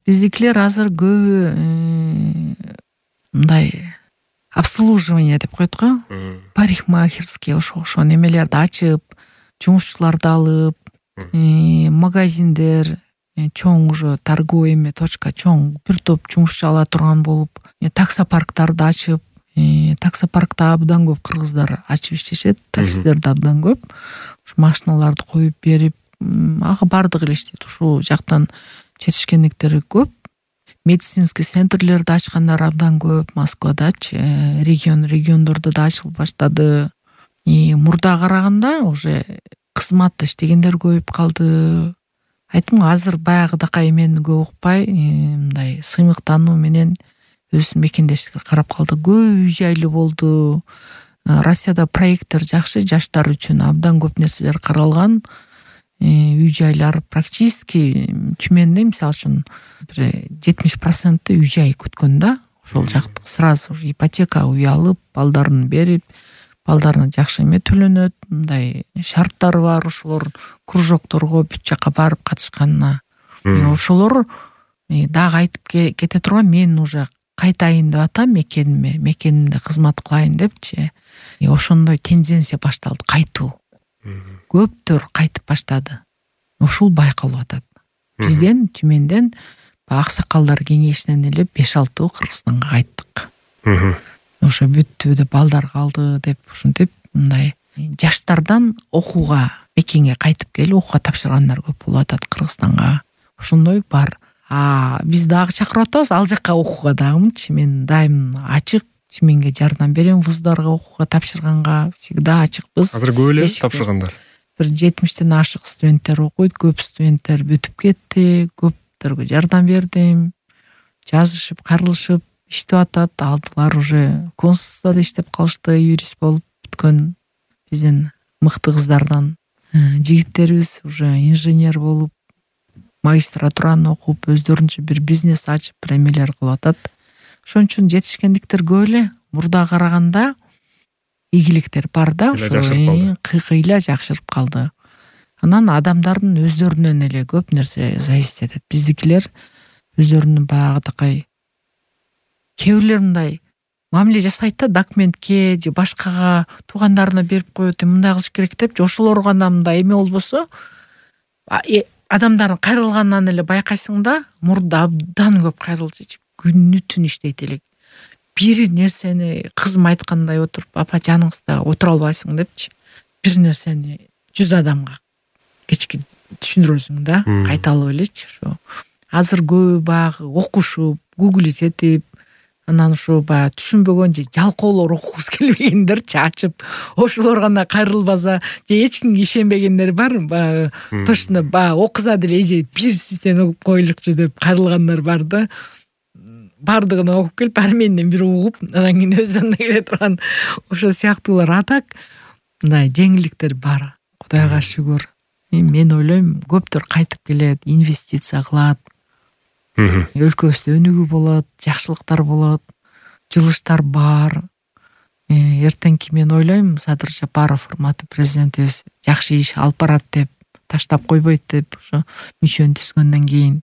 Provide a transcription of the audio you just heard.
Биздикилер азыр көбү мындай обслуживание деп коет го. Парикмахерский ошо немелерди ачып, жумушчуларды алып, магазиндер, чоң уже торговый эме точка, чоң бир топ жумушчу ала турган болуп, таксопарктарды ачып, таксопаркта абдан көп кыргыздар ачып иштешет, таксилерде абдан көп. Ушу машиналарды коюп берип, бардыгы эле иштейт. Ушул жактан жетишкендиктери көп. Медицинский центрлерди ачкандар абдан көп Москвадачы, региондордо да ачылып баштады. Мурдага караганда уже кызматта иштегендер көбөйүп калды. Айттым го, азыр баягыдакай эмени көп укпай, мындай сыймыктануу менен өз мекендештикке карап калды. Көп үй жайлуу болду. Россияда проекттер жакшы, жаштар үчүн абдан көп нерселер каралган. Үй жайлар практически Түмөндө мисалы үчүн 70% үй жай күткөн да. Ошол жакты сразу ипотека үй алып, балдарын берип, балдарына жакшы эме төлөнөт, мындай шарттары бар. Ошолор кружокторго бүт жака барып катышканына. Ошолор дагы айтып кете турган, мен уже кайтайын деп атам мекенимде кызмат кылайын депчи. Ошондой тенденция башталды, кайтуу. Көптөр кайтып баштады. Ушул байкалып атат. Бизден Түмөндөн аксакалдар кеңешинен эле 5-6 Кыргызстанга кайттык. Ошо бүттү деп, балдар калды деп, ушинтип мындай жаштардан окууга, мекенге кайтып келип окууга тапшыргандар көп болуп атат Кыргызстанга. Ошондой бар. Биз дагы чакырып атабыз ал жакка окууга дагымчы. Мен дайым ачык Түмөнгө жардам берем, вуздарга окууга тапшырганга всегда ачыкпыз. Азыр көп эле тапшыргандар. Бир 70тен ашык студенттер окуйт, көп студенттер бүтүп кетти, көптөргө жардам бердим. Жазышып, кайрылышып иштеп атат. Алдылар уже консулствода иштеп калышты, юрист болуп бүткөн биздин мыкты кыздардан. Жигиттерибиз уже инженер болуп, магистратураны окуп, өздөрүнчө бир бизнес ачып, эмелер кылып атат. Ошон үчүн жетишкендиктер көп эле. Мурдага караганда ийгиликтер бар да, кыйла жакшырып калды. Анан адамдардын өздөрүнөн эле көп нерсе зависит этет. Биздикилер өздөрүнүн баягыдакай кээ бирлер мындай мамиле жасайт да, документке же башкага туугандарына берип коет, мындай кылыш керек депчи. Ошолор гана мындай эме болбосо, адамдардын кайрылганынан эле байкайсың да, мурда абдан көп кайрылчу, күнү түн иштейт элек. Бир нерсени кызым айткандай отуруп, апа жаныңызда отура албайсың депчи. Бир нерсени 100 адамга кечки түшүндүрөсүң да, кайталап элечи. Ошо азыр көбү баягы окушуп, гуглить, анан ошо баягы түшүнбөгөн же жалкоолор окугусу келбегендерчи ачып, ошолор гана кайрылбаса, же эч кимге ишенбегендер бар. Баягы точно баягы окуза деле же бир систем окуп коелукчу деп кайрылгандар бар да. Бардыгын окуп келип, баары менден бир угуп, анан кийин өздөрүнө келе турган ошо сыяктуулар. Атак мындай жеңилдиктер бар. Кудайга шүгүр. Мен ойлойм, көптөр кайтып келет, инвестиция кылат. Өлкөбүздө өнүгүү болот, жакшылыктар болот, жылыштар бар. Эртеңки мен ойлойм, Садыр Жапаров урматтуу президентибиз жакшы иш алып барат деп, таштап койбойт деп, ошо мүчөнү түзгөндөн кийин.